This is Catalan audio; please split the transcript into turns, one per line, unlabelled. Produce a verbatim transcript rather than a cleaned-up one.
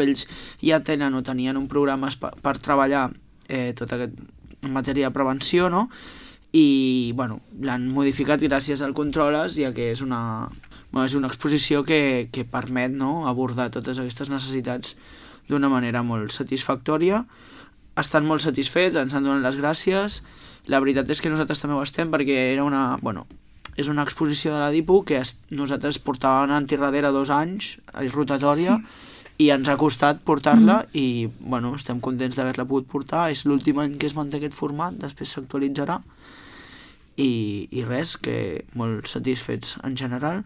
ells ja tenen o tenien un programa per treballar eh, tot aquest en matèria de prevenció, no? I bueno, l'han modificat gràcies al Controles, ja que és una, bueno, és una exposició que, que permet, no?, abordar totes aquestes necessitats d'una manera molt satisfactòria. Estan molt satisfets, ens han donat les gràcies. La veritat és que nosaltres també ho estem, perquè era una, bueno, és una exposició de la DIPU que es, nosaltres portàvem anant darrere dos anys, és rotatòria, sí. I ens ha costat portar-la mm. i bueno, estem contents d'haver-la pogut portar. És l'últim any que es manté aquest format, després s'actualitzarà i, i res, que molt satisfets en general.